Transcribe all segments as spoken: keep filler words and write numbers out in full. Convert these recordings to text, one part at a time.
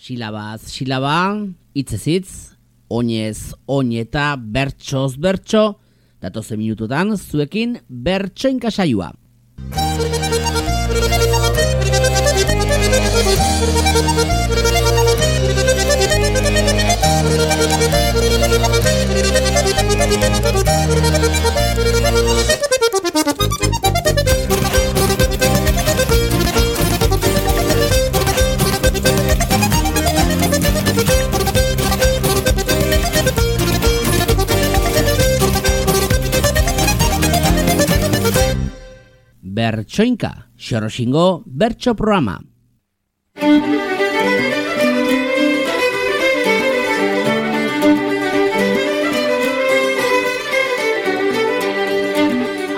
Silabaz, silaba, hitzez hitz, oinez, oin eta bertsoz bertso, datozen minututan zuekin bertsoinka saioa. Bertsoinka, Xoroxingo bertso programa.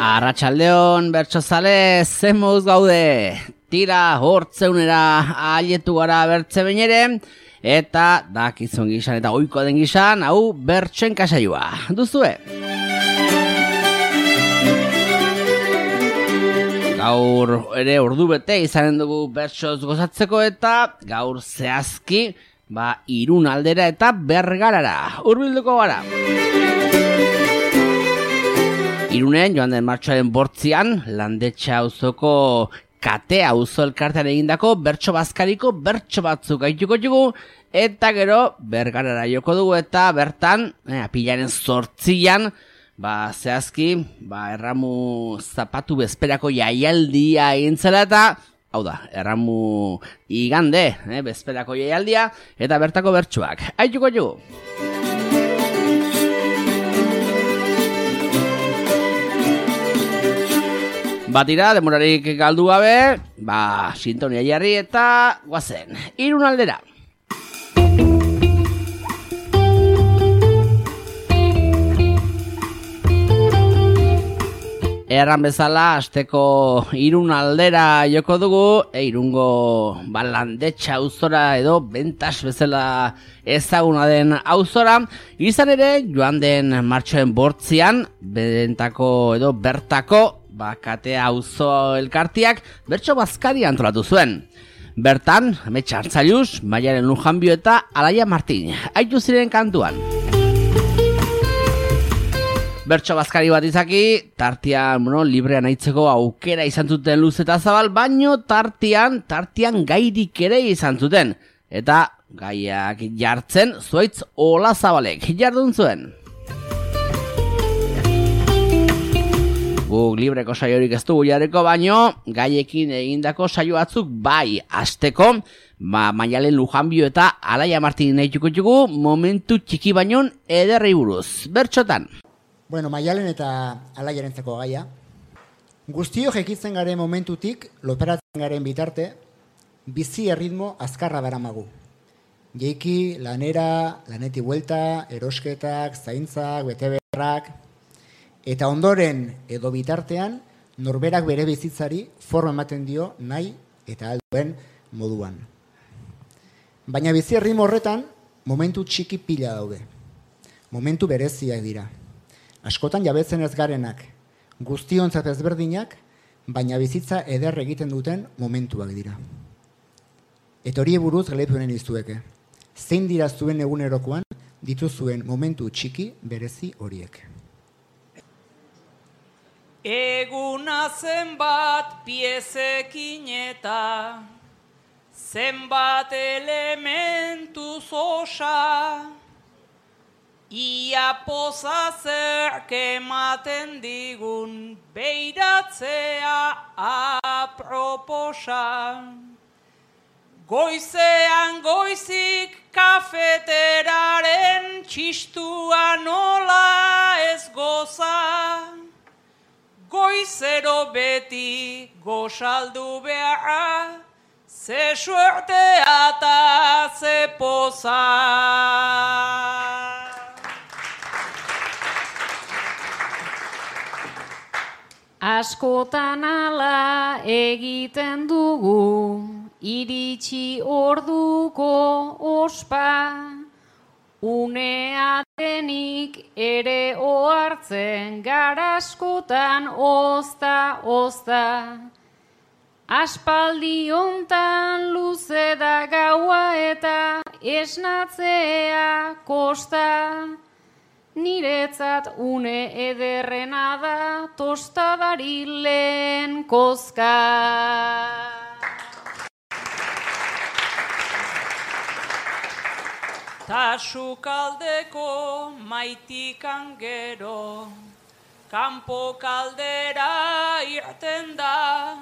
Arratsaldeon bertsozale, zen moduz gaude. Tira hortzeunera aietu gara bertze behin ere, eta dakizun gizan eta oiko den gizan, hau bertsoinka saioa. Duzue? Gaur ere ordu bete izanen dugu bertsoz gozatzeko eta gaur zehazki ba Irun aldera eta Bergarara hurbilduko gara. Irunen joan den martxoaren bortzian Landetxa auzoko Kate auzo elkartean egindako bertso bazkariko bertso batzuk gaituko dugu eta gero Bergarara joko dugu eta bertan eh, apilaren zortzian Ba, zehazki, ba, erramu zapatu bezperako jaialdia egin zela eta, hau da, erramu igande, eh, bezperako jaialdia, eta bertako bertsuak. Aituko jugu! Batira, demorarik galdu gabe, ba, sintonia jarri eta guazen, Irun aldera! Erran bezala, asteko Irun aldera joko dugu, e, Irungo ba, Landetxa auzora edo Bentas bezala ezaguna den auzora. Izan ere, joan den martxoen bortzian, bentako edo bertako, ba, Kate auzo elkartiak bertso bazkari antolatu zuen. Bertan, Ametsa Artzailuz, Maialen Lujanbio eta Alaia Martin, aitu ziren kantuan. Bertso bazkari bat izaki, tartian, bueno, librean aitzeko aukera izan zuten luz eta zabal, baino tartian, tartian gairik ere izan zuten. Eta gaiak jartzen, zuaitz Ola Zabalek jardun zuen. Guk libreko saiorik ez dugu jarriko, baino gaiekin egindako saio batzuk bai asteko, ba, Maialen Lujanbio eta Alaia Martin nahituko dugu momentu txiki bainon ederrei buruz. Bertsotan. Bueno, Maialen eta Alaiarentzako gaia. Guztio jekitzen garen momentutik, loperatzen garen bitarte, bizi erritmo azkarra daramagu. Jeiki, lanera, laneti buelta, erosketak, zaintzak, betebeharrak, eta ondoren edo bitartean, norberak bere bizitzari forma ematen dio nahi eta alduen moduan. Baina bizi erritmo horretan, momentu txiki pila daude. Momentu bereziak dira. Askotan jabetzen ez garenak, guztiontzat ezberdinak, baina bizitza eder egiten duten momentuak dira. Eta hori buruz galetuenen iztueke. Zein dira zuen egunerokoan dituzuen momentu txiki berezi horiek. Eguna zenbat piezekin eta zenbat elementuz osa, ia poza zerk ematen digun beiratzea aproposa. Goizean goizik kafeteraren txistua nola ez goza. Goizero beti gozaldu beharra, ze suertea eta ze poza. Askotan ala egiten dugu, iritsi orduko ospa, unea denik ere ohartzen gara askotan ozta, ozta. Aspaldi hontan luze da gaua eta esnatzea kosta. Niretzat une ederrena da tostadari lehen kozka. Ta sukaldeko maitikan gero, kanpo kaldera irten da,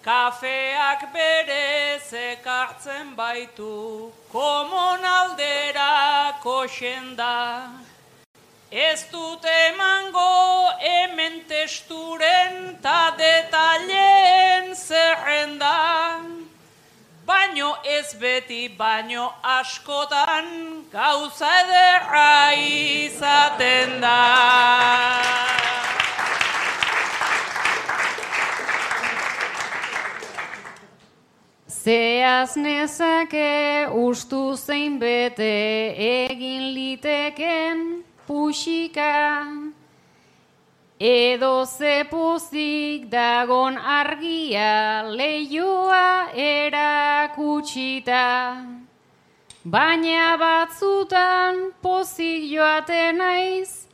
kafeak berez ekartzen baitu, komonaldera koxen da. Ez dut emango hemen testuren ta detaileen zerrenda, baino ez beti, baino askotan gauza ederra izaten da. Zeaz nezake ustu zein bete egin liteken puxika, edo ze pozik dagon argia leioa erakutsita. Baina batzutan pozik joaten naiz,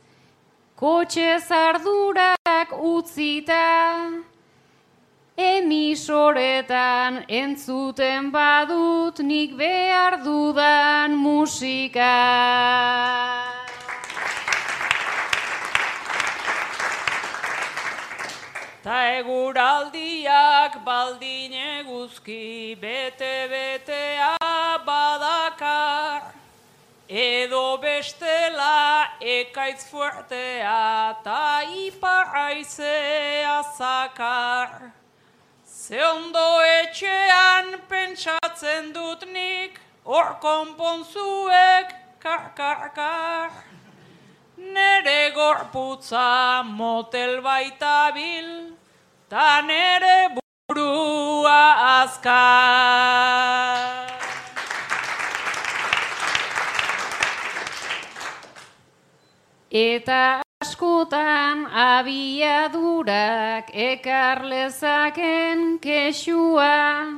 kotxe zardurak utzita. Emisoretan entzuten badut nik behar dudan musika. Ta eguraldiak baldin eguzki bete-betea badakar, edo bestela ekaitz fuertea ta ipar-haizea zakar. Ze ondo etxean pentsatzen dut nik, hor konponzuek kar-kar-kar. Nere gorputza motel baitabil, ta nere burua azkar. Eta askotan abiadurak ekar lezaken kexua,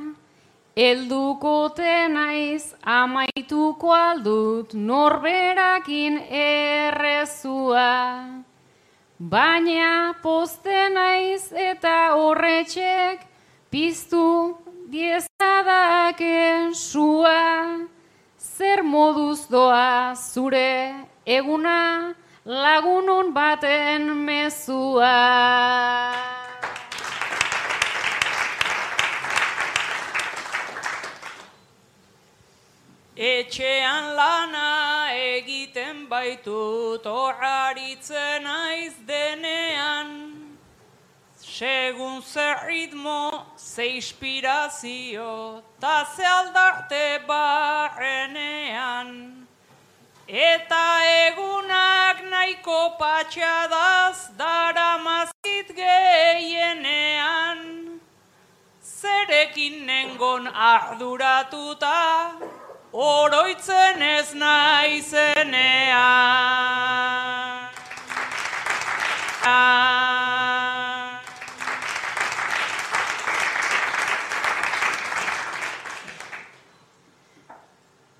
heldukote naiz amaituko aldut norberakin errezua. Baina poste naiz eta horretxek piztu diezadaken sua. Zer moduz doa zure eguna, lagunon baten mezua. Etxean lana egiten baitut horaritzen naiz denean, segun ze ritmo, ze inspirazio, ta ze aldarte barrenean. Eta egunak nahiko patxadaz daramazit gehienean, zerekin nengon arduratuta, oroitzen ez naizenean.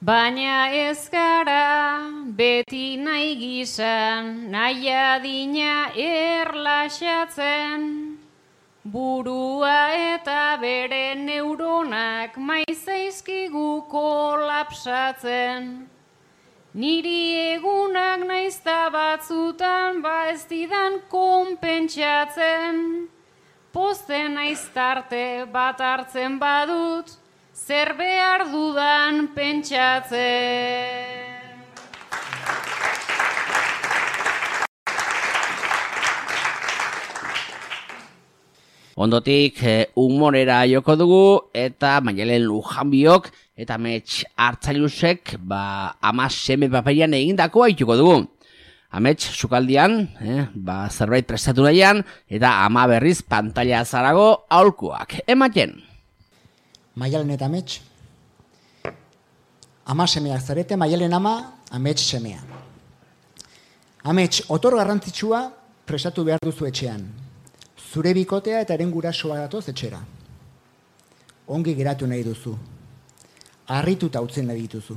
Baina ez gara beti nahi gizan, nahi adina erlaxatzen, burua eta bere neuronak maizaizkigu kolapsatzen. Niri egunak naizta batzutan ba ez didan konpentsatzen, posten naiztarte bat hartzen badut, zer behar dudan pentsatzen. Ondotik humorera joko dugu eta Maialen Lujanbiok eta Amets Hartzailusek ba, ama seme paperian egindakoa ituko dugu. Amets sukaldian, eh, ba, zerbait prestatu nahian eta ama berriz pantalla zarago aholkuak ematen. Maialen eta Amets. Ama semeak zarete, Maialen ama, Amets semea. Amets, otor garrantzitsua prestatu behar duzu etxean. Zure bikotea eta eren gurasoa datoz etxera. ongi geratu nahi duzu. Harrituta utzen nahi dituzu.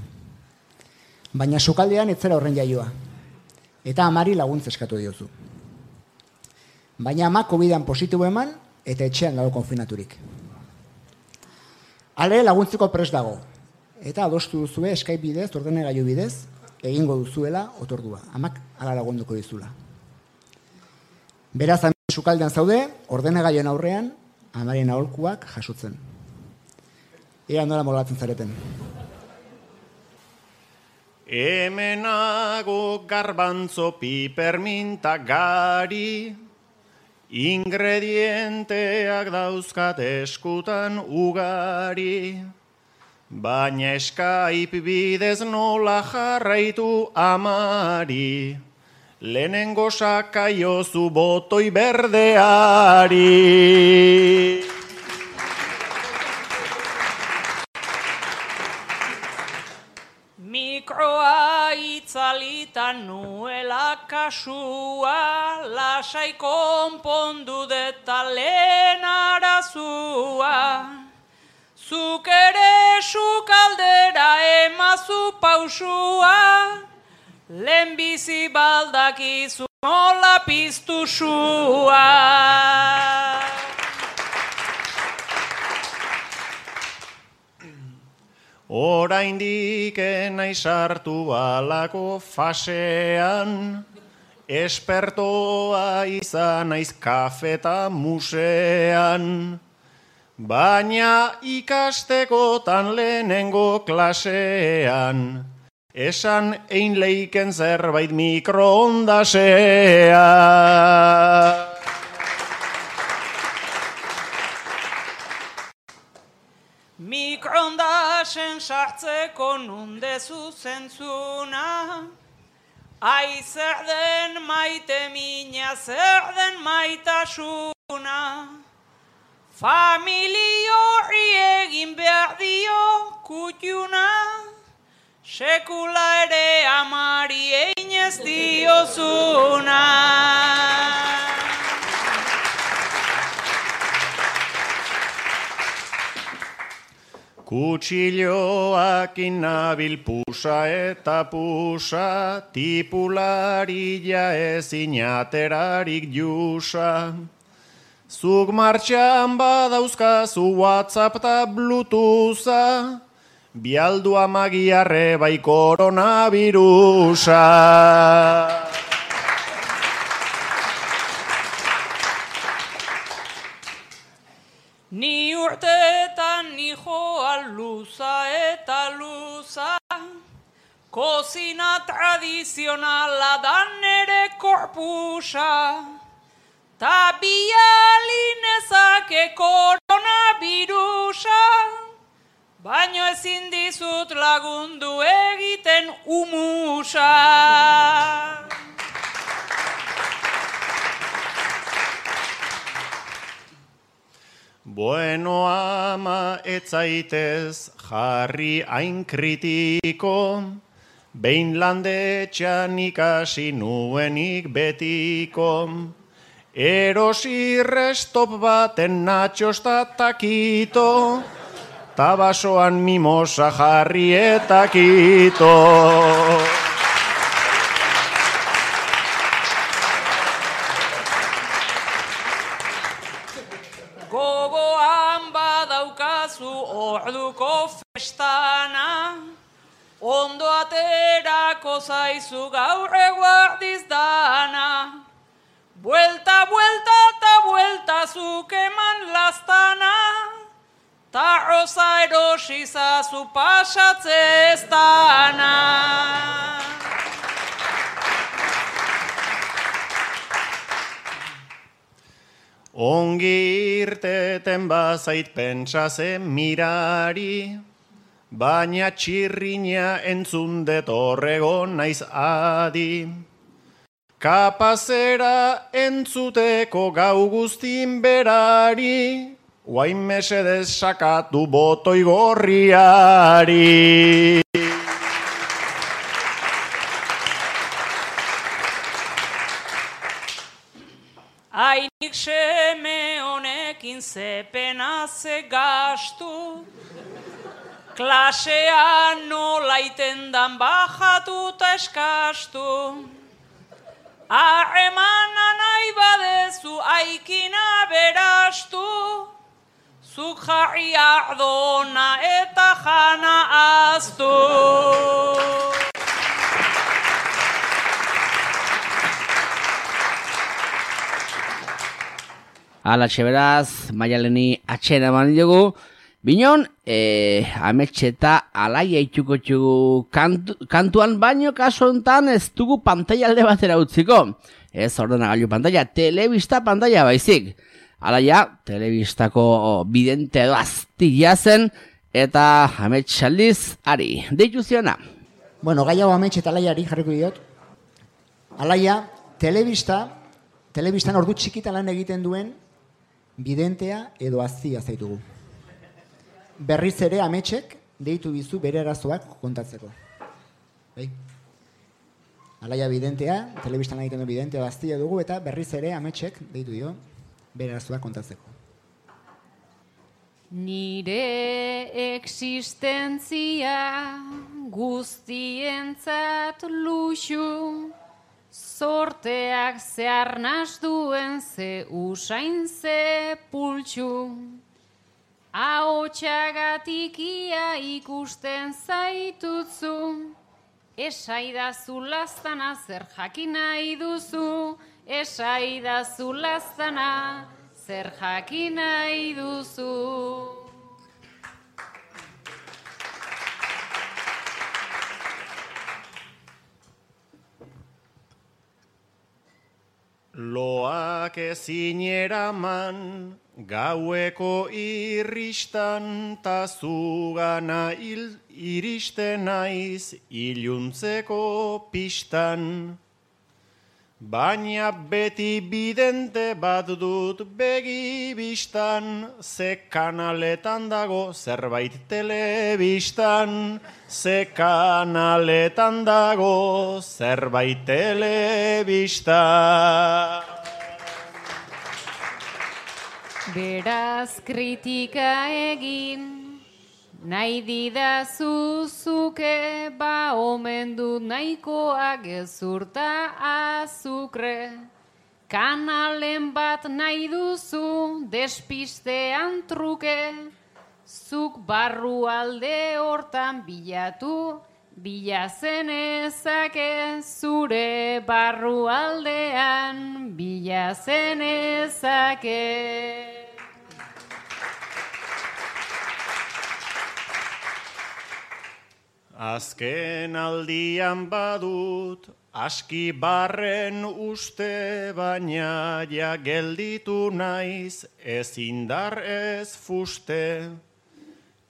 Baina sukaldean ez zera horren jaioa. Eta amari laguntza eskatu diozu. Baina ama covidan positibo eman eta etxean dago konfinaturik. Hale laguntzeko prest dago. Eta adostu duzue Skype bidez, ordenagailu bidez, egingo duzuela otordua. Amak hala lagunduko dizula. Beraz, hemen sukaldean zaude, ordenagailuen aurrean, amaren aholkuak jasotzen. Ea nola moldatzen zareten. Hemenago garbantzo piperminta gari, ingredienteak dauzkat eskutan ugari, baina Skype bidez nola jarraitu amari, lehenengo sakaiozu botoi berdeari. Mikroa itzalitan nuela kasua, lasai konpondu deta lehen arazua. Zuk ere sukaldera emazu pausua, lehen bizi baldakizu nola piztu sua. Oraindik enai sartu alako fasean, espertoa izan naiz kafeta musean, baina ikastekotan lehenengo klasean, esan ein leiken zerbait mikroondasean. Mikroondasen sartzeko nundezu zentzuna, ai zer den maite mina, zer den maitasuna. Familio horri egin behar dio kutxuna, sekula ere amari egin ez diozuna. Kutxilloak inabil pusa eta pusa, tipularia ezin aterarik jusa. Zuk martxan badauzkazu WhatsApp eta Bluetootha, bialdu amagiarre bai koronavirusa. Ni urteetan ni joa luza eta luza, kozina tradizionala dan ere korpusa, ta bialinezake koronavirusa, baino ezin dizut lagundu egiten umusa. Bueno ama etzaitez jarri hain kritiko, behin landetxean ikasi nuenik betiko. Erosi restop baten natxos ta takito, tabasoan mimosa jarri eta kito. Orduko festana, ondo aterako zaizu gaur eguardiz dana. Buelta, buelta, ta buelta zuk eman lastana, ta roza erosi zazu pasatze ez dana. Ongi irteten bazait pentsazen mirari, baina txirrina entzundet horregon naiz adi. Kapazera entzuteko gau guztin berari, guain mesedez sakatu botoi gorriari. Ainik seme honekin zepena ze gastu, klasean nola itendan bajatu eta eskastu. Harremana nahi badezu aikina berastu, zuk jarri ardona eta jana aztu. Alatxe beraz, Maialeni atxena eman diogu. Binon, e, ametxe eta alaia itxuko txugu kantu, kantuan baino kaso hontan ez dugu pantaila alde batera utziko. Ez ordenagailu pantaila, telebista pantaila baizik. Alaia, telebistako bidente edo aztia zen, eta ametxe aldiz, ari, deitu ziona. Bueno, gai hau ametxe eta alaiari jarriko diot. Alaia, telebista, telebistan ordu txikitan lan egiten duen bidentea edo aztia zaitugu. Berriz ere ametxek deitu bizu bere arazoak kontatzeko. Bai? Alaia bidentea, telebistan egiten du bidentea aztia dugu, eta berriz ere ametxek deitu dio bere arazoak kontatzeko. Nire existentzia guztientzat luxu, sorteak zeharnaz duen ze usain ze pultxu. Ahotxagatik ia ikusten zaitutzu, esaidazu lastana zer jakin nahi duzu, esaidazu lastana zer jakin nahi duzu. Loak ezin eraman, gaueko irristan, ta zugana il, iristen naiz iluntzeko pistan. Baina beti bidente bat dut begi bistan, ze kanaletan dago zerbait telebistan, ze kanaletan dago zerbait telebistan. Beraz kritika egin, nahi didazu zuke, ba omen dut nahikoa gezurta azukre. Kanalen bat nahi duzu, despistean truke, zuk barru alde hortan bilatu, bilazen ezake, zure barru aldean bilazen ezake. Azken aldian badut, aski barren uste, baina ja gelditu naiz, ez indar ez fuste.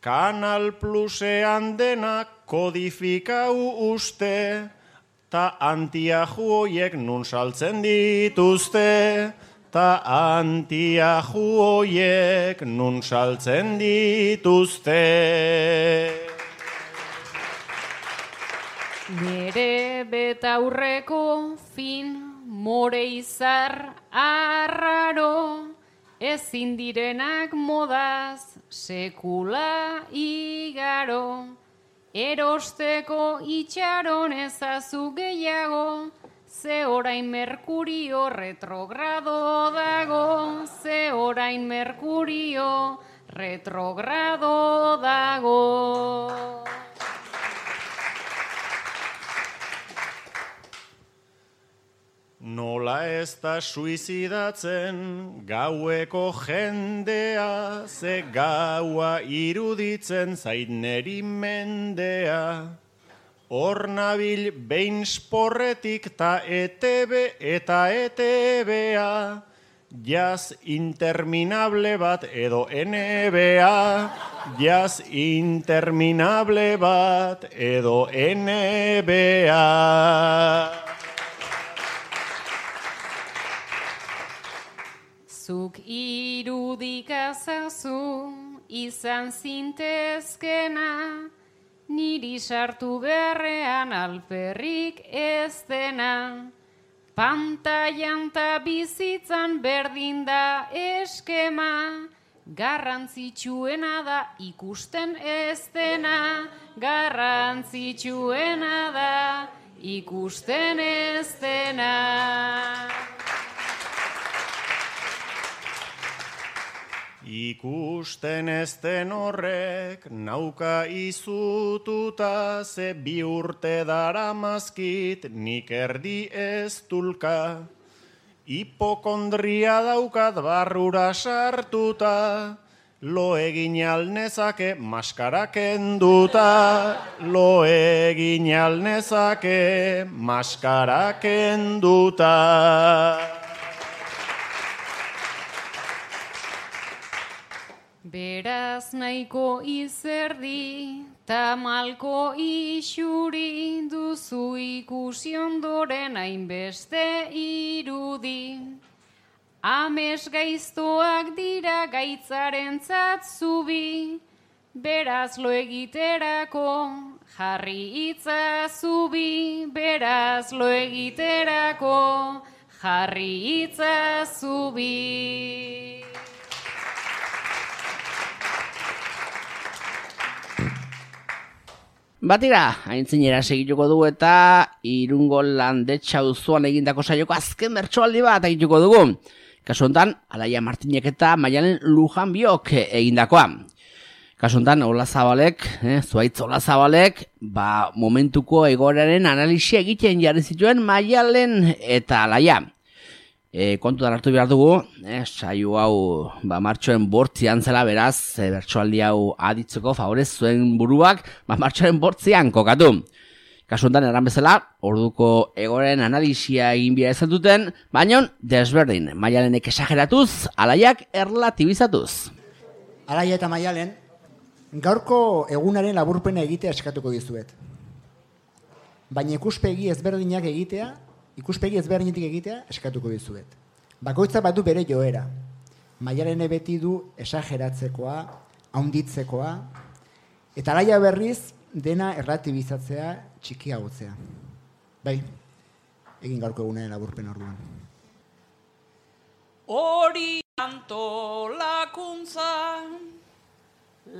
Kanal Plusean denak kodifikau uste, ta antiaju hoiek nun saltzen dituzte, ta antiaju hoiek nun saltzen dituzte. Nere betaurreko fin more izar arraro, ezin direnak modaz sekula igaro. Erosteko itxaron ezazu gehiago, ze orain Merkurio retrogrado dago, ze orain Merkurio retrogrado dago. Nola ez da suizidatzen gaueko jendea, ze gaua iruditzen zait neri mendea. Hor nabil behin sporretik ta E T B eta E T B-a, jaz interminable bat edo N B A, jaz interminable bat edo N B A. Zuk irudikazazu izan zintezkena, niri sartu beharrean alperrik ez dena. Pantailan ta bizitzan berdin da eskema, garrantzitsuena da ikusten ez dena, garrantzitsuena da ikusten ez dena. Ikusten ez den horrek nauka izututa, ze bi urte daramazkit nik erdi ez tulka. Hipokondria daukat barrura sartuta, lo egin alnezake maskara kenduta, lo egin alnezake maskara kenduta. Beraz nahiko izerdi, tamalko isuri, duzu ikusi ondoren hainbeste irudi. Ames gaiztoak dira gaitzarentzat zubi, beraz lo egiterako jarri hitza zubi, beraz lo egiterako jarri hitza zubi. Batira, haintzinera segituko dugu eta Irungo Landetxa auzoan egindako saioko azken bertsoaldi bat egituko dugu. Kasu honetan, Alaia Martinek eta Maialen Lujanbiok egindakoa. Kasu honetan, Olazabalek, eh, Zuaitz Olazabalek, ba, momentuko egoeraren analisia egiten jarri zituen Maialen eta Alaia. E, kontutan hartu behar dugu, eh, saio hau ba, martxoen bortzian zela, beraz, e, bertsoaldi hau aditzeko favorez zuen buruak, ba, martxoen bortzian kokatu. Kasu honetan erran bezala, orduko egoren analisia egin bia ezan duten, baina desberdin, Maialenek esageratuz, Alaiak erlatibizatuz. Alaia eta Maialen, gaurko egunaren laburpena egitea eskatuko dizuet. Baina ikuspegi ezberdinak egitea, ikuspegi ezberdinetik egitea eskatuko dizuet. Bakoitza bat du bere joera. Maialene beti du esageratzekoa, haunditzekoa, eta Alaia berriz dena erlatibizatzea, txikiagotzea. Bai, egin gaurko egunaren laburpen orduan. Hori antolakuntza,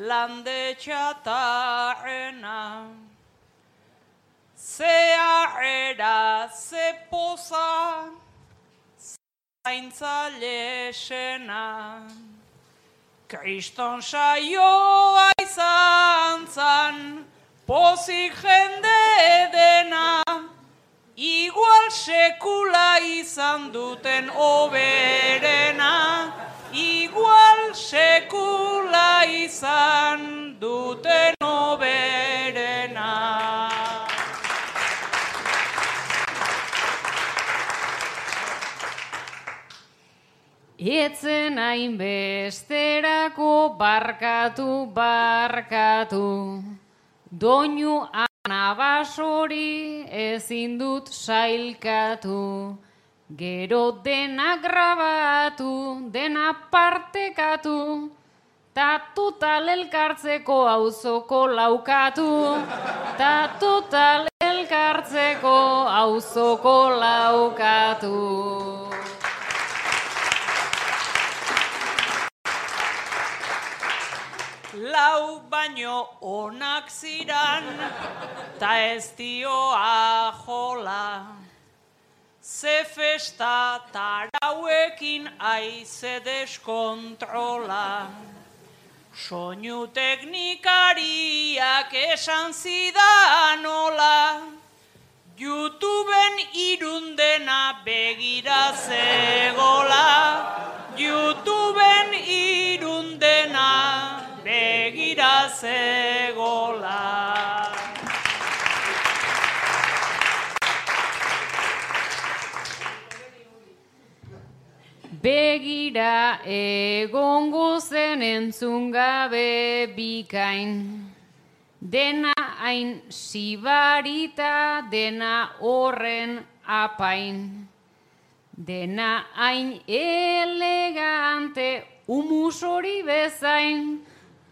Landetxa tarrena, zea era, ze poza, zaintza lesena. Kriston saioa izan zan, pozik jende dena, igual sekula izan duten oberena, igual sekula izan duten oberena. Etzen hainbesterako barkatu, barkatu, doinu anabasori ezin dut sailkatu, gero dena grabatu, dena partekatu, ta total elkartzeko auzoko laukatu, ta total elkartzeko auzoko laukatu. Lau baino onak ziran, ta ez dioa jola. Ze festa tarauekin aize deskontrola. Soinu teknikariak esan zidan hola, YouTubeen irundena begira zegola, YouTubeen irundena begira zegola. Begira egongo zen entzun gabe bikain, dena hain sibarita, dena horren apain, dena hain elegante, humus hori bezain,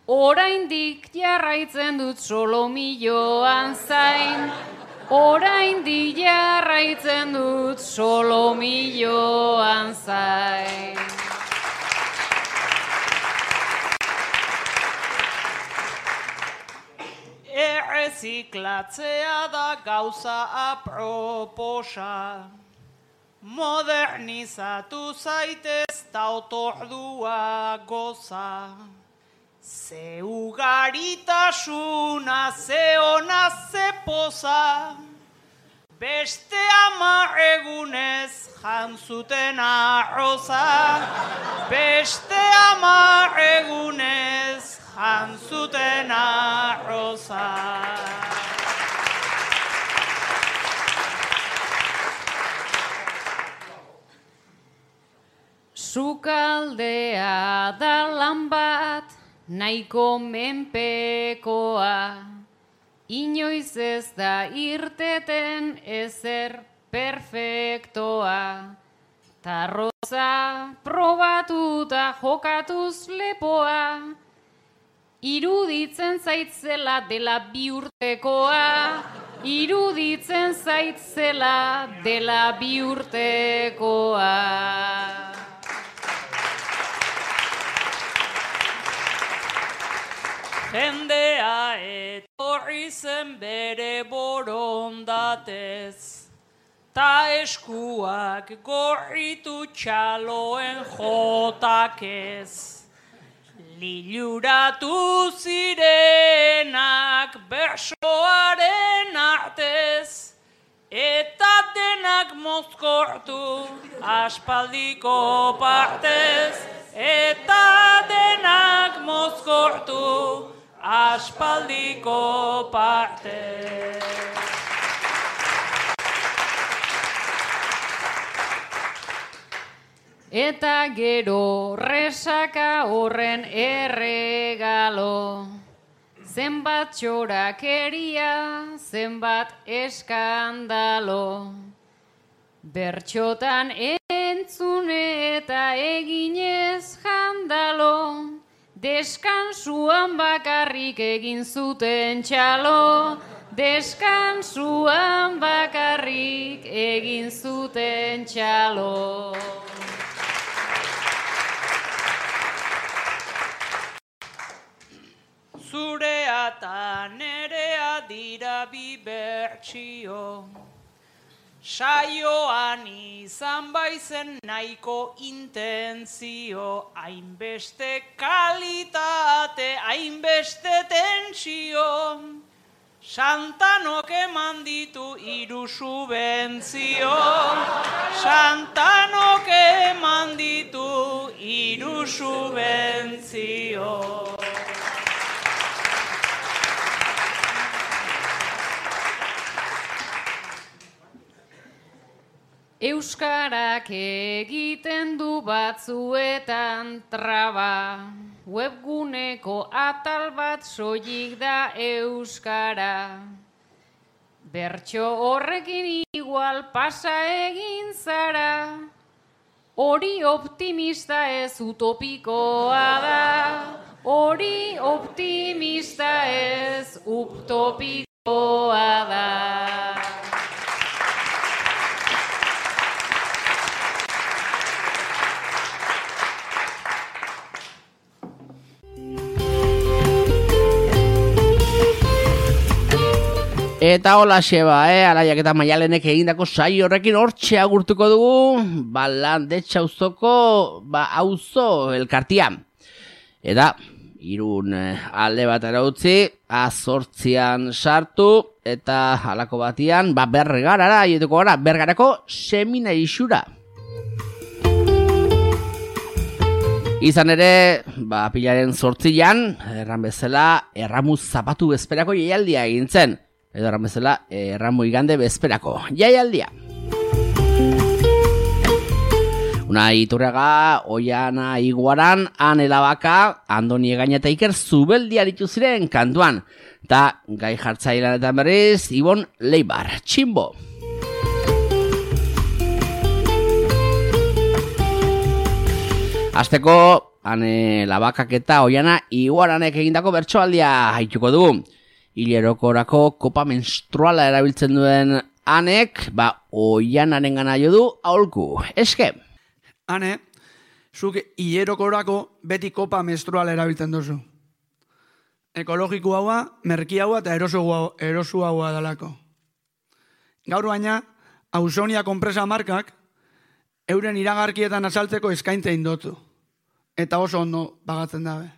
oraindik jarraitzen dut solomilloan zain, oraindik jarraitzen jarraitzen dut solomilloan zain. Erreziklatzea da gauza aproposa, modernizatu zaitez ta otordua goza. Ze ugaritasuna, ze ona, ze poza, beste hamar egunez jantzuten arroza, beste hamar egunez jantzuten arroza. Sukaldea da lan bat, nahiko menpekoa, inoiz ez da irteten ezer perfektoa. Tarroza probatuta jokatuz lepoa, iruditzen zaitzela dela bi urtekoa, iruditzen zaitzela dela bi urtekoa. Jendea etorri zen bere borondatez, ta eskuak gorritu txaloen jotakez. Liluratu zirenak bersoaren artez, eta denak mozkortu aspaldiko partez, eta denak mozkortu aspaldiko partez. Eta gero resaka horren erregalo, zenbat txorakeria, zenbat eskandalo. Bertxotan entzune eta eginez jandalo, deskansuan bakarrik egin zuten txalo, deskansuan bakarrik egin zuten txalo. Zurea eta nerea dira bi bertsio, saioan izan baizen nahiko intentzio, hainbeste kalitate, hainbeste tentsio, Santanok eman ditu hiru subentzio, Santanok eman ditu hiru subentzio. Euskarak egiten du batzuetan traba, webguneko atal bat soilik da euskara. Bertso horrekin igual pasa egin zara, hori optimista ez utopikoa da, hori optimista ez utopikoa da. Eta hola xeba, eh? Alaiak eta Maialenek egindako saio horrekin hortxe agurtuko dugu, ba, Landetxe auzoko, ba, auzo elkartia. Eta, Irun alde batera utzi, azortzian sartu, eta halako batian, ba, Bergarara, aietuko gara, Bergarako seminarisura. Izan ere, ba, pilaren zortzian, erran bezala, erramuz zapatu bezperako jaialdia egin zen. Edo erran bezala, erramu igande bezperako jaialdia. Unai Iturriaga, Oiana Iguaran, Ane Labaka, Andoni Egaña eta Iker Zubeldia ditu ziren kantuan. Eta gai jartzailanetan berriz, Ibon Leibar, Tximbo. Azteko, Ane Labakak eta Oiana Iguaranek egindako bertsoaldia haituko dugu. Hilerokorako kopa menstruala erabiltzen duen Hanek, ba, Oianaren gana jo du aholku. Eske? Hane, zuk hilerokorako beti kopa menstrual erabiltzen duzu. Ekologiko haua, merki haua eta erosu haua dalako. Gaur baina, Ausonia konpresa markak euren iragarkietan azaltzeko eskaintza indotu. Eta oso ondo pagatzen dabe.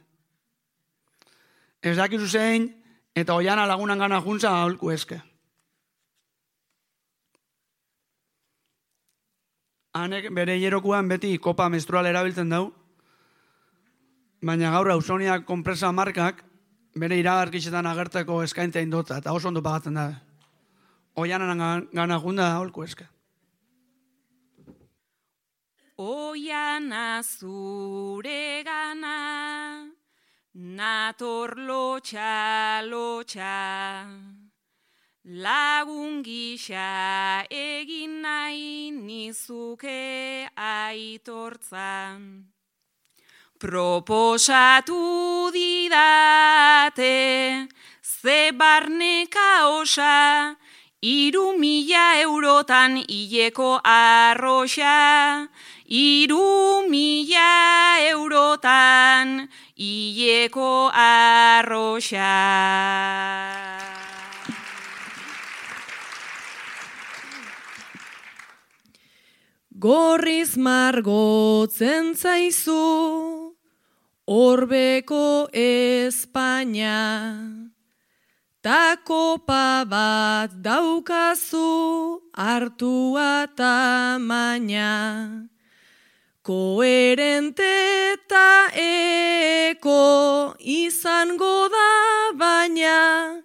Ez dakizu zein, eta Oiana lagunan gana juntza aholku eske. Hanek bere hilerokuan beti kopa menstrual erabiltzen dau, baina gaur Ausonia konpresa markak bere iragarkitzetan agertzeko eskaintza indotza, eta oso ondo pagatzen dabe. Oianan gana junda aholku eske. Oiana zure gana, nator lotxa, lotxa, lagun gisa egin nahi nizuke aitortza. Proposatu didate, ze barneka osa, iru mila eurotan hileko arroxa, iru mila eurotan hileko arroxa. Gorriz margotzen zaizu, orbeko Espainia, ta kopa bat daukazu hartua tamaina. Koherente eta eko izango da baina,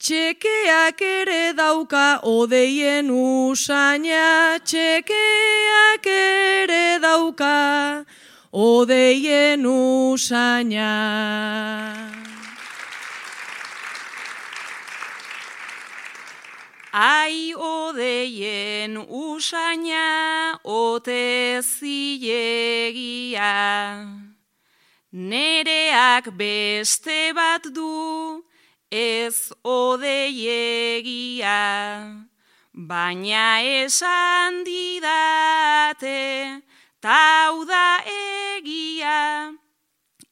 txekeak ere dauka odeien usaina, txekeak ere dauka odeien usaina. Ai odeien usaina ote zilegia, nereak beste bat du ez odeiegia, baina esan didate tau da egia,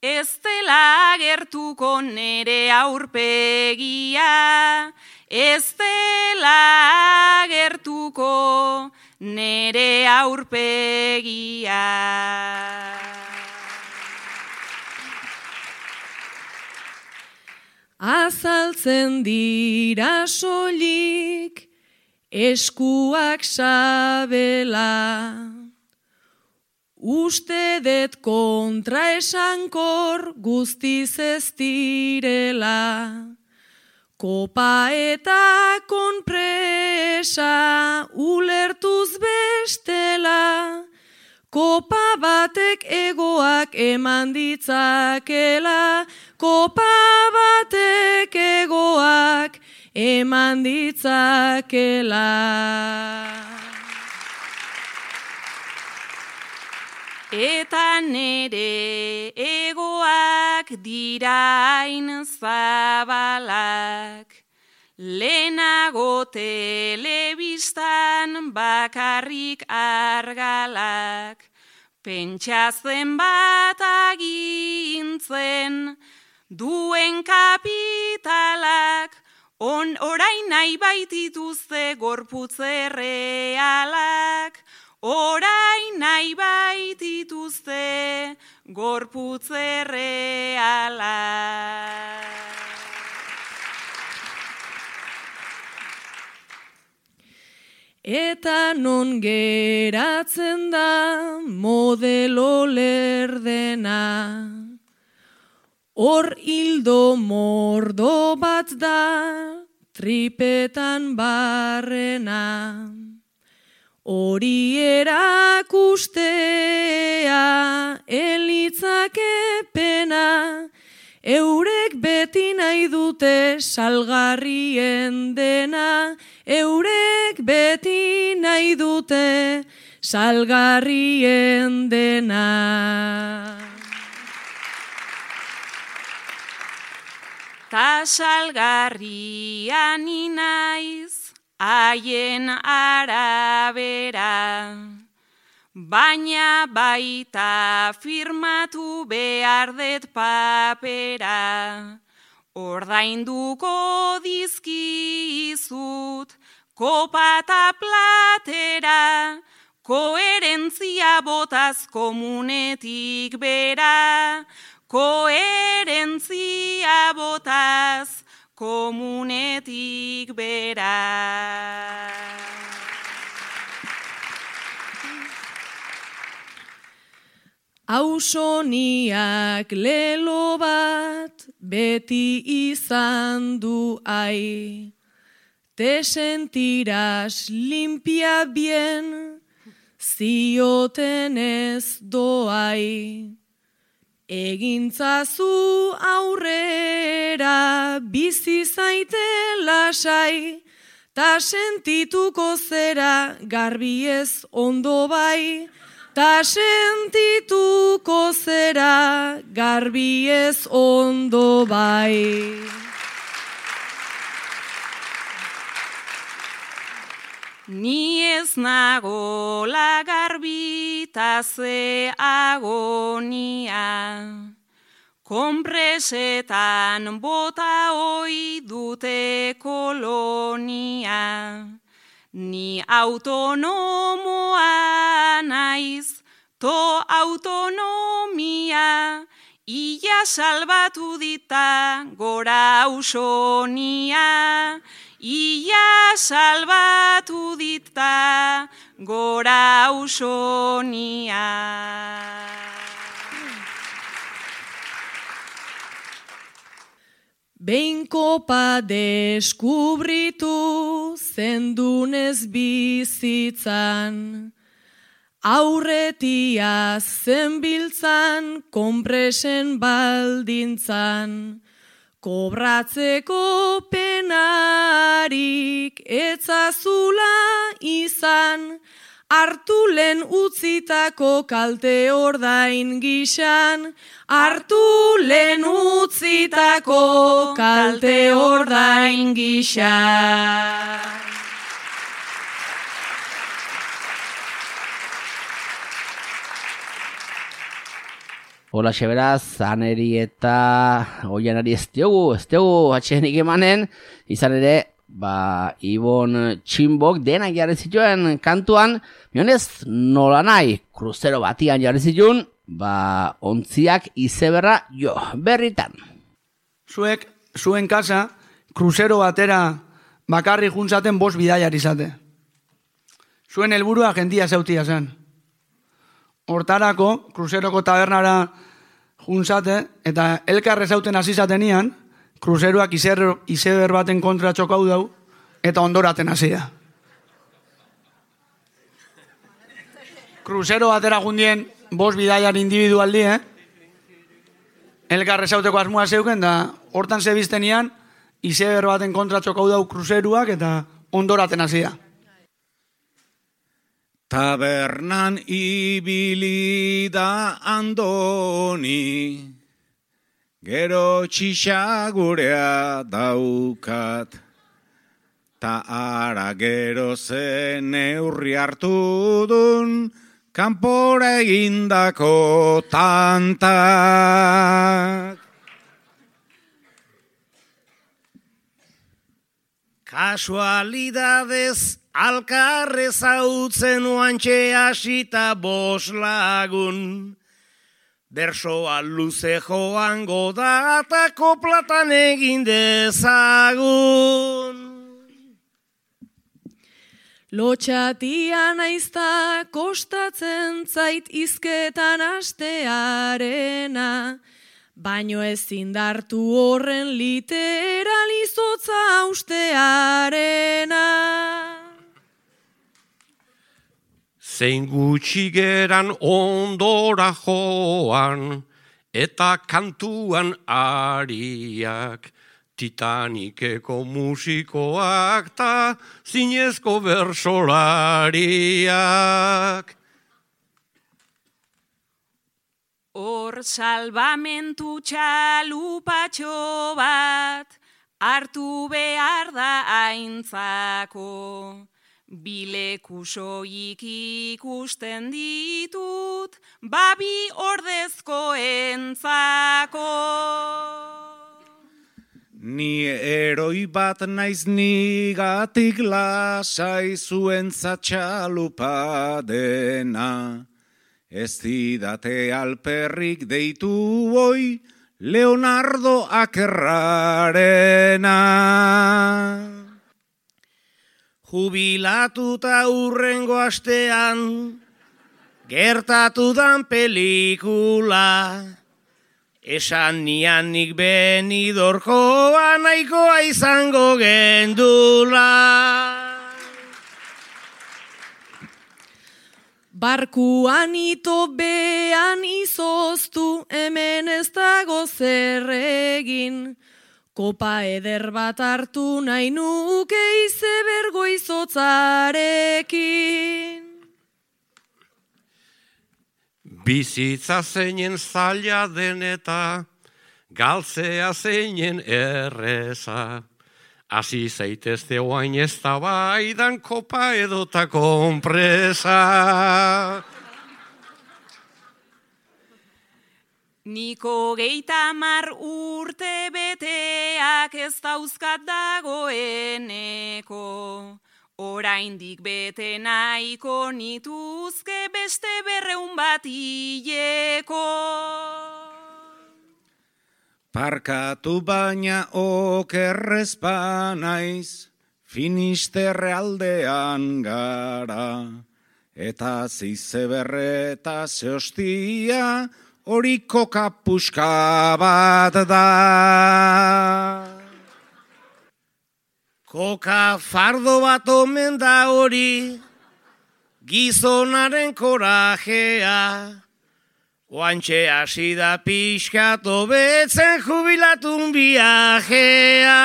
ez dela agertuko nere aurpegia, ez dela agertuko nere aurpegia. Azaltzen dira soilik eskuak sabela, uste det kontra esankor guztiz ez direla. Kopa eta konpresa ulertuz bestela, kopa batek egoak eman ditzakela, kopa batek egoak eman ditzakela. Eta nere egoak dira hain zabalak, lehenago telebistan bakarrik argalak, pentsatzen bat agintzen duen kapitalak, on orain nahi baitituzte gorputze realak, orain nahi baitituzte gorputze realak. Eta non geratzen da modelo lerdena, hor hildo mordo bat da tripetan barrena. Hori erakustea elitzake pena, eurek beti nahi dute salgarrien dena, eurek beti nahi dute salgarrien dena. Ta salgarria ni naiz, haien arabera. Baina baita firmatu behar det papera. Ordainduko dizkizut kopa eta platera, koherentzia botaz komunetik bera, koherentzia botaz komunetik bera. Ausoniak lelo bat beti izan du ai. Te sentirás limpia bien, zioten ez doai. Egintzazu aurrera, bizi zaite lasai, ta sentituko zera garbi ez ondo bai, ta sentituko zera garbi ez ondo bai. Ni ez nago lagarbi ta ze agonia, konpresetan bota oi dute kolonia. Ni autonomoa naiz, to autonomia, ia salbatu dita gora ausonia. Ia salbatu dita gora ausonia. Behin kopa deskubritu zendunez bizitzan, aurretia zenbiltzan konpresen baldintzan, kobratzeko penarik etzazula izan, hartu lehen utzitako kalte ordain gisan, hartu lehen utzitako kalte ordain gisan. Hola, beraz, Aneri eta Oianari ez diogu, ez diogu atxenik emanen, izan ere, ba, Ibon Txinbok denak jarri zituen kantuan, mionez nola nahi, kruzero batian jarri zituen, ba, ontziak izeberra jo, berritan. Zuek, zuen kasa, kruzero batera bakarri juntzaten bost bidaiar izate. Zuen helburua jendia zeutia zen. Hortarako, kruzeroko tabernara juntzate, eta elkarre zauten azizatenian, kruzeroak izeber baten kontra txokau dau, eta ondoraten hasia. Kruzero batera jundien, bost bidaiar individualdi, eh? Elkarre zauteko asmoa zeuken, da hortan zebiztenian, izeber baten kontra txokau dau kruzeroak, eta ondoraten hasia. Tabernan ibili da Andoni, gero txixagurea daukat, ta ara gero zen neurri hartu dun, kanpora egindako tantak. Kasualidadez alkarre zautzen oantxe hasita bos lagun, bersoa luze joango da eta koplatan egin dezagun. Lotxatia naizta kostatzen zait izketan astearena, baino ezin dartu horren literalizotza ustearena. Zein gutxi geran ondora joan, eta kantuan ariak, Titanikeko musikoak ta zinezko bersolariak. Hor salbamentu txalupatxo bat, hartu behar da aintzako. Bileku soilik ikusten ditut, babi ordezko entzako. Ni eroi bat naiz nigatik lasai zuentzat txalupa dena. Ez didate alperrik deitu oi Leonardo Akerrarena. Jubilatuta urrengo astean, gertatu dan pelikula. Esan nian nik Benidorkoa nahikoa izango gendula. Barkuan ito bean izoztu, hemen ez dago zer egin. Kopa eder bat hartu nahi nuke izebergo izotzarekin. Bizitza zeinen zaila den eta galtzea zeinen erreza. Hasi zaitezte oain ez da baidan kopa edota konpresa. Niko geita mar urte beteak ez dauzkat dagoeneko. Oraindik bete nahiko nituzke beste berreun bat hileko. Parkatu baina okerrezpa naiz, Finisterre aldean gara. Eta zizeberre eta zehostia, hori kokapuska bat da. Koka fardo bat omen da hori, gizonaren korajea. Oantxe hasi da pixkat hobetzen jubilatun viajea.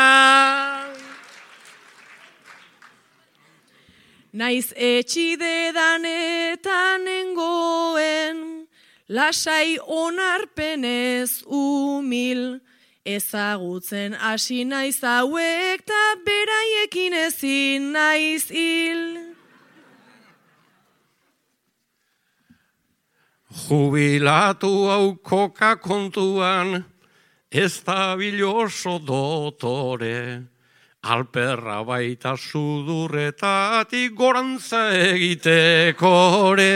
Naiz etxidedan eta nengoen, lasai onarpenez umil, ezagutzen hasi naiz hauek ta beraiekin ezin naiz hil. Jubilatu hau koka kontuan, ez da biloso dotore, alperra baita sudurretatik gorantza egitekore.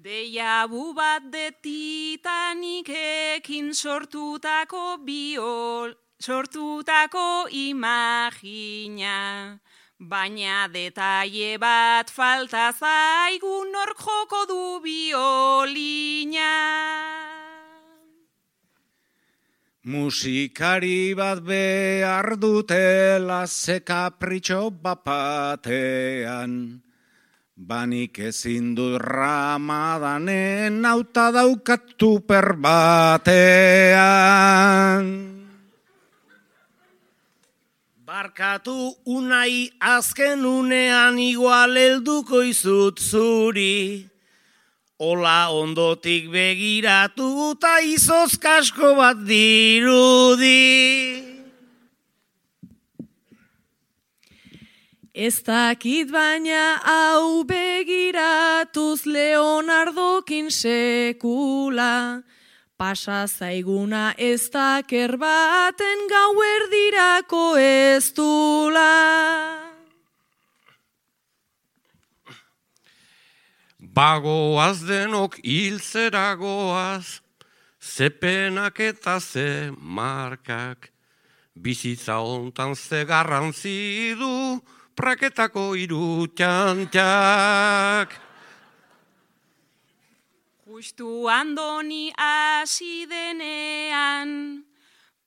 Deiabu bat de Titanikekin sortutako biol, sortutako imagina. Baina detaile bat falta zaigu nork joko du biolina. Musikari bat behar dutela ze kapritxo bapatean. Banik ezin dut Ramadanen auta daukat tuper batean. Barkatu unai azken unean igual helduko izut zuri. Ola ondotik begiratu eta izoz kasko bat dirudi. Ez dakit baina hau begiratuz Leonardokin sekula. Pasa zaiguna ez daker baten gauerdirako ez dula. Bagoaz denok hiltzeragoaz, ze penak eta ze markak, bizitza hontan ze garrantzi du, praketako hiru txantxak. Justu andoni hasi denean,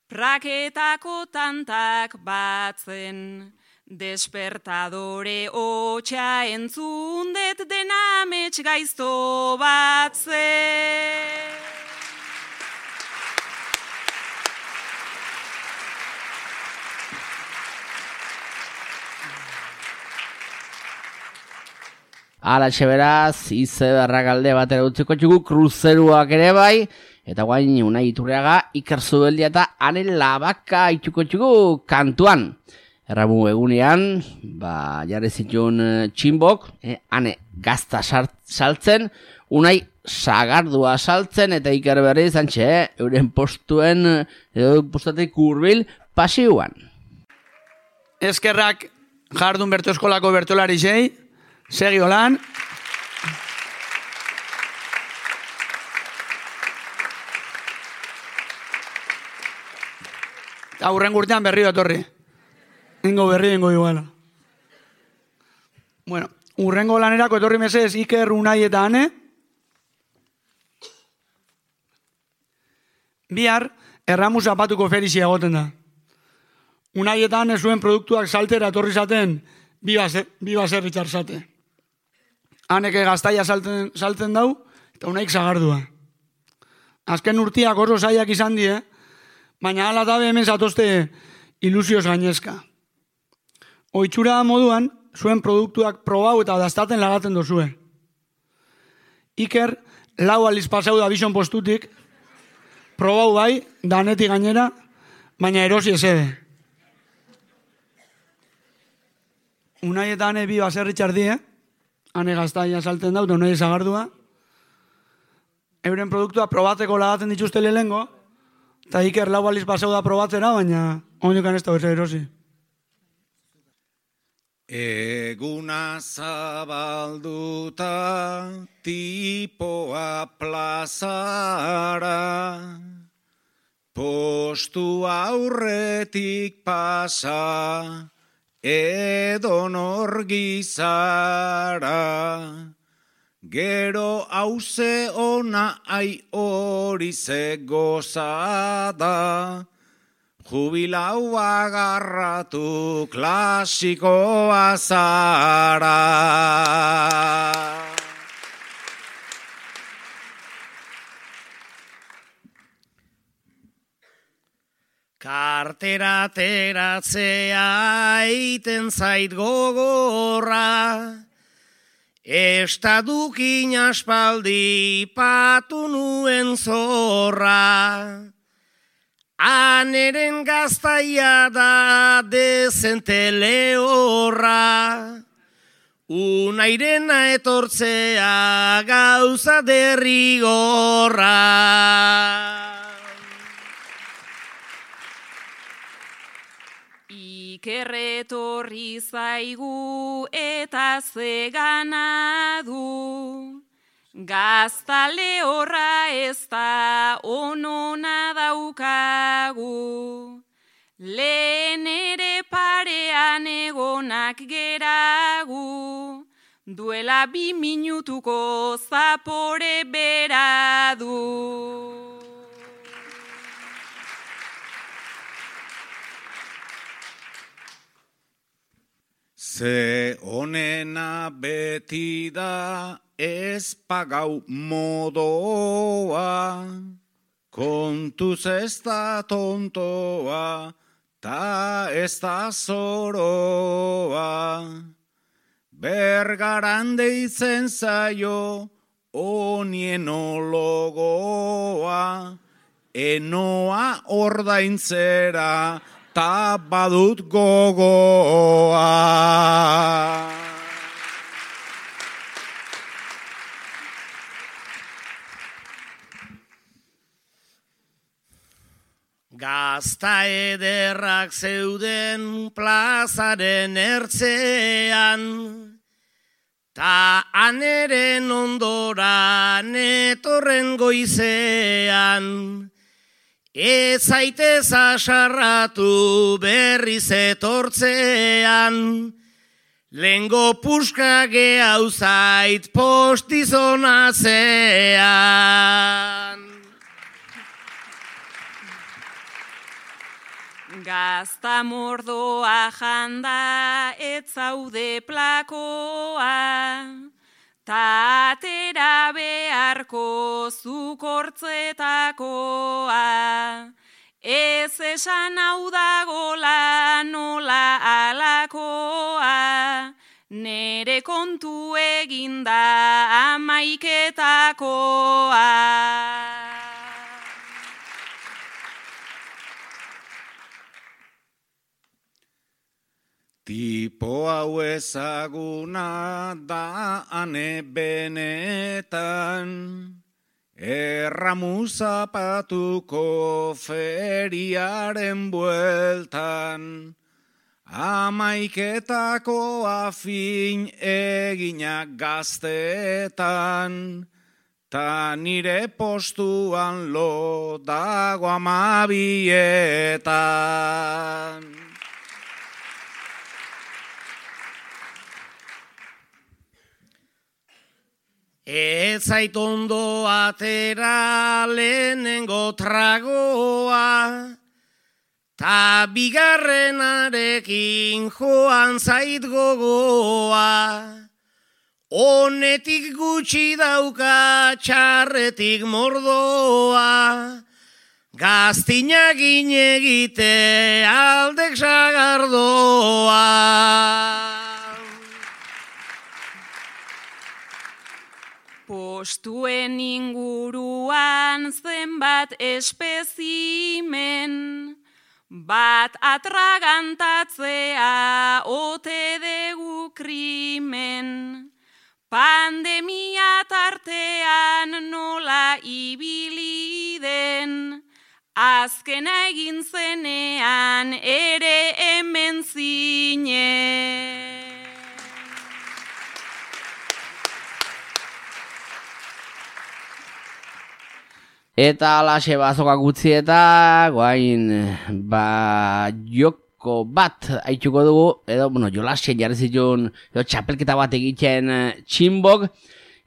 praketako tantak batzen, despertadore hotxa entzundet denamets gaizto batzen. Ala beraz, izeberrak alde batera utziko txugu, kruzeruak ere bai, Eta guain Unai Iturriaga, Iker Zubeldia eta Ane Labaka itxuko txuko kantuan. Erramu egunean, ba, jarri zituen txinbok, eh, Ane gazta saltzen, Unai sagardua saltzen, eta Iker berri zantxe, eh, euren postuen, edo postatik hurbil pasioan. Eskerrak jardun berto eskolako bertolari zei, segi holan. Aurren urtean berri datorri. Ingo berri, ingo iguala. Bueno, urrengo lanerako etorri mesez Iker, Unai eta Ane. Bihar, erramu zapatuko ferizia egoten da. Unai eta Ane zuen produktuak saltera etorri zaten bi baserri txarzate. Aneke gaztaia salten, salten dau, eta Unaik zagardua. Azken urtiak oso zaiak izan die, baina ala tabe hemen zatozte ilusioz gainezka. Oitxura moduan, zuen produktuak probau eta daztaten lagaten dozue. Iker, lau aliz pasau da bison postutik, probau bai, danetik gainera, baina erosi esede. Unai eta Ane bi baserri txardie, Ane gaztaia salten dau, Unai zagardua. Euren produktua probateko lagaten dituzte lehengo, eta Iker lau aliz pasau da probatzera, baina ondokan ez da berse erosi. Eguna zabalduta tipoa plazara, postu aurretik pasa edonor gizara. Gero hauze ona ai hori ze gozada, jubilau agarratu klasikoa zara. Kartera ateratzea eiten zait gogorra, estadukin aspaldi patu nuen zorra. Aneren gaztaia da dezente lehorra, Unairena etortzea gauza derrigorra. Iker etorri zaigu eta zegana du, gazta lehorra ez da onona daukagu, lehen ere parean egonak geragu, duela bi minutuko zapore bera du. Ze honena beti da ez pagau modoa, kontuz ez da tontoa, ta ez da zoroa. Bergaran deitzen zaio onien ologoa, enoa ordaintzera, ta badut gogoa. Gazta ederrak zeuden plazaren ertzean, ta aneren ondoran etorren goizean, ez zaitez asarratu berriz etortzean, lengo puska gehau zait postizonatzean. Gazta mordoa janda ez zaude plakoa, ta atera beharko zukortzetakoa. Ez esan hau dagola nola alakoa, nere kontu eginda amaiketakoa. Tipo hau ezaguna da ane benetan, erramu zapatuko feriaren bueltan, amaiketako afin eginak gaztetan, ta nire postuan lo dago amabietan. Ez zait ondo atera lehenengo tragoa, ta bigarrenarekin joan zait gogoa. Honetik gutxi dauka txarretik mordoa, gaztinak inegite aldek sagardoa. Postuen inguruan zenbat espezimen, bat atragantatzea ote dugu krimen. Pandemia tartean nola ibili den, azkena egin zenean ere hemen zinen. Eta alaxe bazokak utzi eta guain ba joko bat haituko dugu, edo bueno, jolasen jarri zituen edo txapelketa bat egiten txinbok,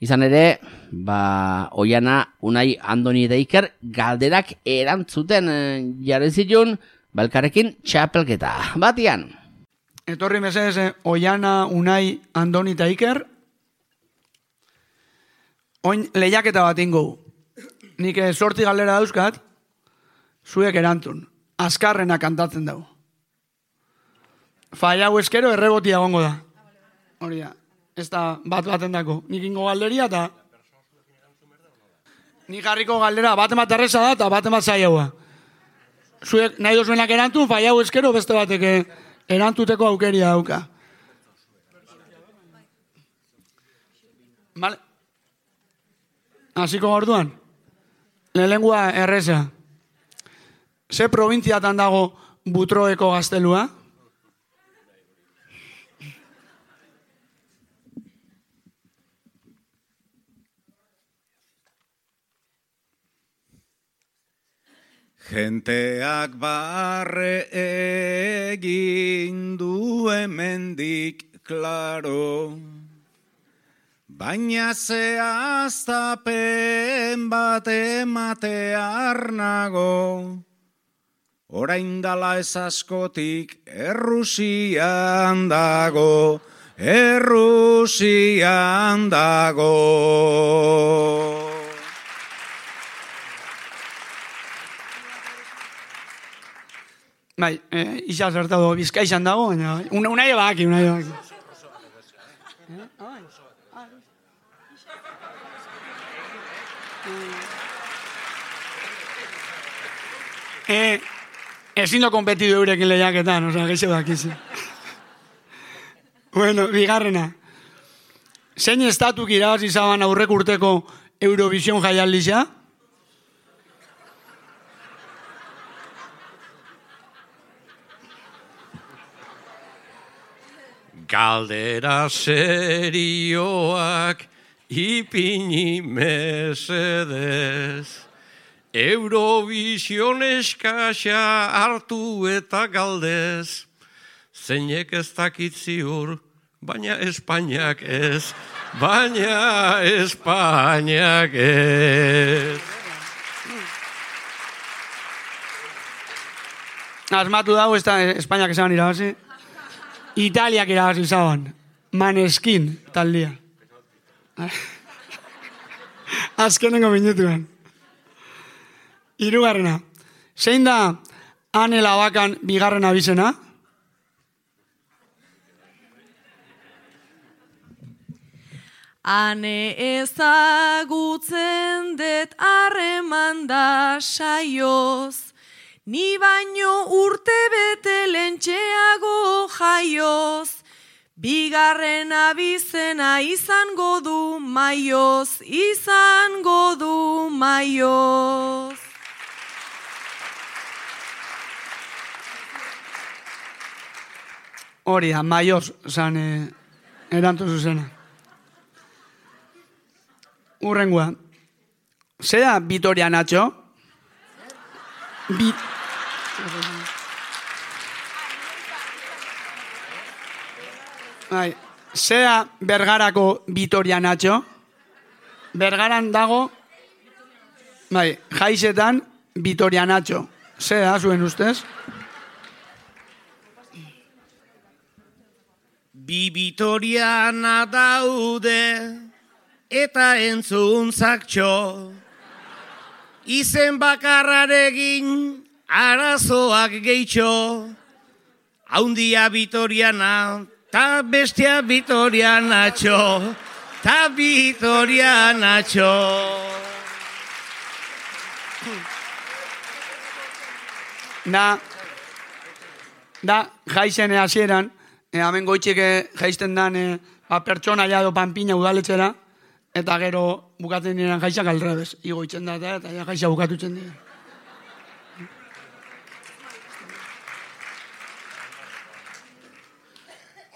izan ere ba Oiana, Unai, Andoni eta Iker galderak erantzuten jarri zituen balkarekin txapelketa batian. Etorri mesedez Oiana, Unai, Andoni eta Iker. Oin lehiaketa bat ingo. Nik sorti galdera dauzkat, zuek erantzun. Azkarrena kantatzen dago. Faiau eskero errebotia gongo da. Hori da. Ez da bat baten dako. Nik ingo galderia eta... Nik jarriko galdera bat emat erreza da eta bat emat zaiaua. Zuek nahi dozuenak erantzun, faiau eskero beste batek erantzuteko aukeria dauka. Vale. Hasiko orduan. Lelengua erreza. Ze probintziatan dago Butroeko gaztelua? Jenteak barre egin du hemendik klaro, baina zehaztapen bat ematear nago, orain dala ez askotik Errusian dago, Errusian dago. Bai, eh, isa zertado Bizkaixan dago, baina unai baki, unai baki. Eh, ezin do kompetidu eurekin lehiaketan, oza, geixo dakizi. Bueno, bigarrena. Zein estatuk irabazi zaban aurrek urteko Eurovision jaialdisa? Galdera serioak ipini mesedez. Eurovision eskasa hartu eta galdez. Zeinek ez dakit ziur, baina Espainiak ez. Baina Espainiak ez. Asmatu dago, ez da Espainiak esan irabazi. Italiak irabazi zaban. Maneskin taldia. Azkenengo minutuan. Hirugarrena. Zein da Ane Labakan bigarren abizena? Ane ezagutzen det harreman da saioz, Ni baino urte bete lentxeago jaioz, bigarren abizena izango du maioz, izango du maioz. Hori da, maioz, zan eh, erantu zuzena. Urrengoa. Zera Vitoria Nacho? Bi... Bai, zera Bergarako Vitoria Nacho? Bergaran dago, bai, jaizetan Vitoria Nacho. Zera, zuen ustez? Bi Vitoriana daude eta entzuntzaktxo. Izen bakarraregin arazoak gehitxo. Haundia Vitoriana, ta bestia Vitorianatxo, ta Vitorianatxo. Da, da, jaizene hasieran, E, hemen goitxik jaisten dan e, ba, pertsona jado panpina udaletxera, eta gero bukatzen diren jaizak aldrebez. Igoitzen da eta, eta ja, jaiza bukatutzen dira.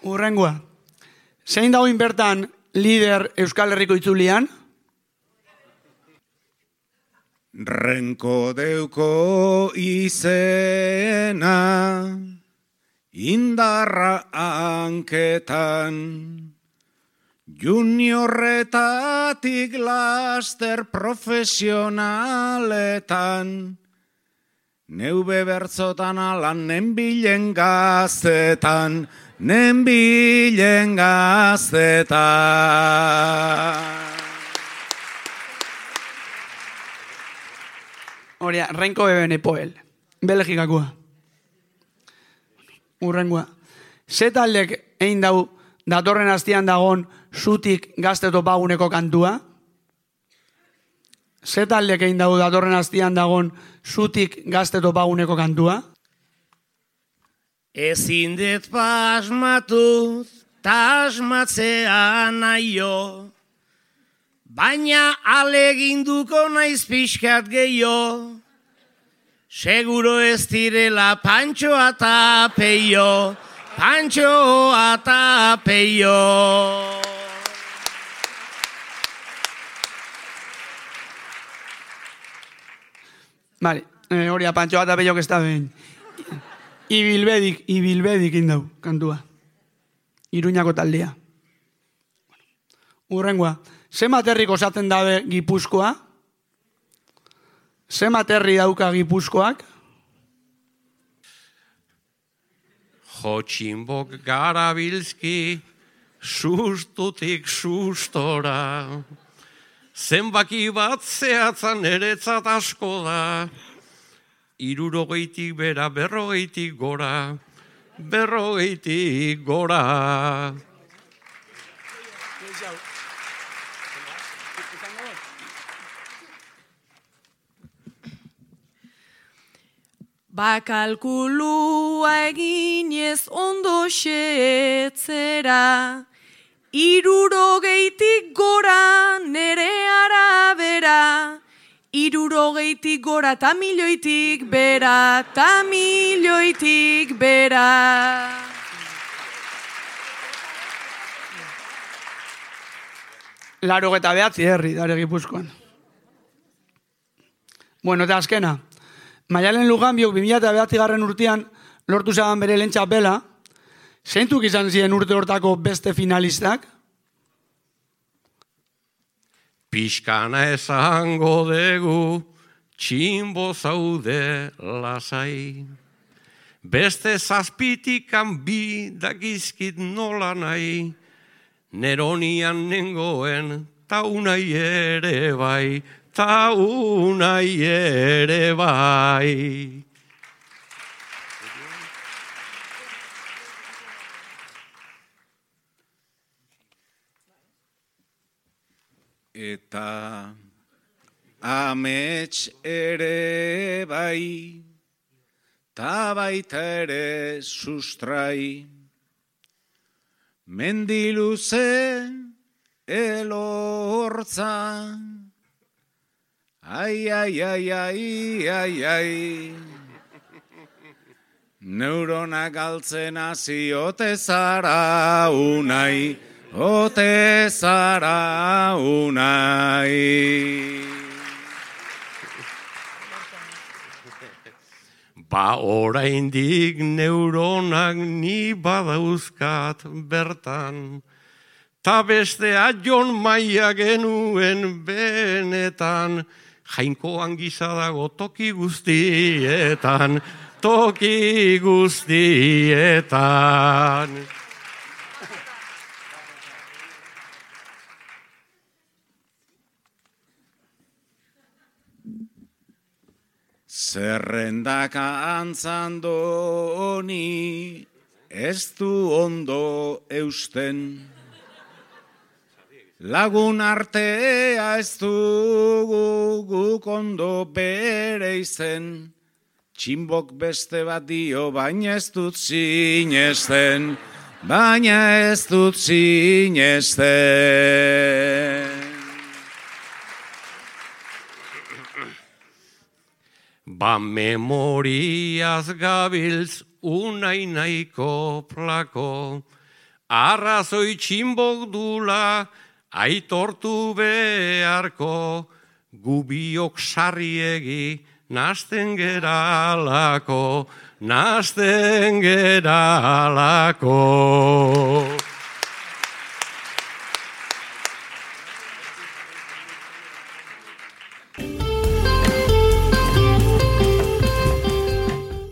Urrengoa. Zein dagoin bertan lider Euskal Herriko itzulian? Renko deuko izena, indarra hanketan, juniorretatik laster profesionaletan, neube bertzotan alan nenbilen gaztetan, nenbilen gaztetan. Horia, Renko beben epoel, Belgikakoa. Urrengoa. Ze taldek egin dau datorren astian dagon zutik gazte topaguneko kantua? Ze taldek egin dau datorren astian dagon zutik gazte topaguneko kantua? Ezin dut pasmatuz, tasmatzea naio, baina aleginduko naiz pixkat gehiago. Seguro ez direla Pantxoa eta Peio, Pantxoa eta Peio. Vale, eh, hori Pantxoa eta Peio que está ben. Ibilbedik, ibilbedik indau, kantua. Iruñako taldea. Urrengoa, ze materrik osatzen dabe Gipuzkoa? Ze materri dauka Gipuzkoak? Jotxinbok garabilzki, sustutik sustora. Zenbaki bat zehatzan eretzat asko da. Irurogeitik bera, berrogeitik gora, berrogeitik gora. Bakalkulua eginez ondo xetzera, irurogeitik gora nere arabera, irurogeitik gora ta milioitik bera, ta milioitik bera. Laro eta behatzi herri, dare Gipuzkoan. Bueno, eta azkena. Maialen Luganbiok bi mila bederatzi garren urtean lortu zaban bere lehen txapela. Zeintzuk izan ziren urte hortako beste finalistak? Pixkana esango degu, txinbo zaude lasai. Beste zazpitikan bi dakizkit nola nahi, neronian nengoen ta unai ere bai. Ta unai ere bai. Eta amets ere bai, ta baita ere sustrai. Mendiluze elortza, ai, ai, ai, ai, ai, ai. Neuronak galtzen hasi ote zara unai, ote zara unai. Ba oraindik neuronak ni badauzkat bertan, ta bestea Jon Maia genuen benetan, Jainkoan gisa dago toki guztietan, toki guztietan. Zerrendaka antzandoni ez du ondo eusten. Lagun artea ez dugu guk ondo bere izen. Txinbok beste bat dio baina ez dut sinesten, baina ez dut sinesten. Ba memoriaz gabiltz unai nahiko plako, arrazoi txinbok dula aitortu beharko, gubiok sarriegi nasten geralako, nasten geralako.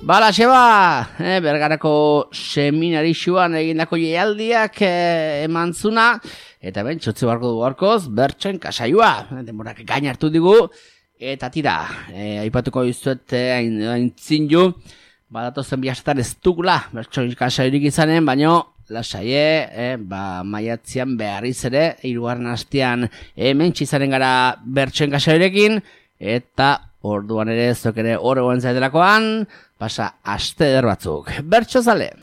Bala, xeba, eh, Bergarako seminarixuan egindako jaialdiak eh, emantzuna, eta ben, txotze barko du barkoz, bertxen kasaioa, demorak gain hartu digu, eta tira, eh, aipatuko izuet hain eh, ju, badatozen bihasetan ez dugula, bertxen kasaiorik izanen, baino, lasaie, eh, ba, maiatzian beharriz ere, hirugarren hastean hemen txizaren gara bertxen kasaiorekin, eta orduan ere, zok ere horregoen zaitelakoan, pasa aste eder batzuk. Bertso zale!